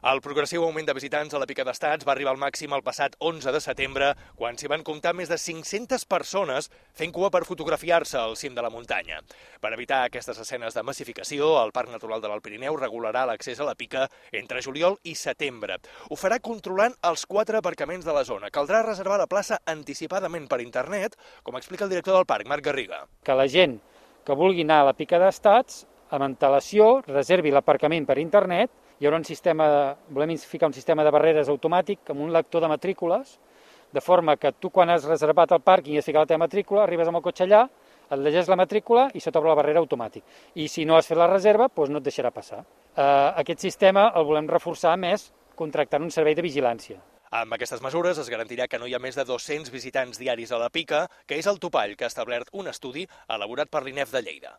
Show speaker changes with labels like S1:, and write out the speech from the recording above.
S1: El progressiu augment de visitants a la Pica d'Estats va arribar al màxim el passat 11 de setembre, quan s'hi van comptar més de 500 persones fent cua per fotografiar-se al cim de la muntanya. Per evitar aquestes escenes de massificació, el Parc Natural de l'Alt Pirineu regularà l'accés a la Pica entre juliol i setembre. Ho farà controlant els 4 aparcaments de la zona. Caldrà reservar la plaça anticipadament per internet, com explica el director del parc, Marc Garriga.
S2: Que la gent que vulgui anar a la Pica d'Estats, amb antelació, reservi l'aparcament per internet. Hi haurà volem ficar un sistema de barreres automàtic amb un lector de matrícules, de forma que tu, quan has reservat el pàrquing i has ficat la teva matrícula, arribes amb el cotxe allà, et llegeix la matrícula i se t'obre la barrera automàtic. I si no has fet la reserva, doncs no et deixarà passar. Aquest sistema el volem reforçar més contractant un servei de vigilància.
S1: Amb aquestes mesures es garantirà que no hi ha més de 200 visitants diaris a la Pica, que és el topall que ha establert un estudi elaborat per l'INEF de Lleida.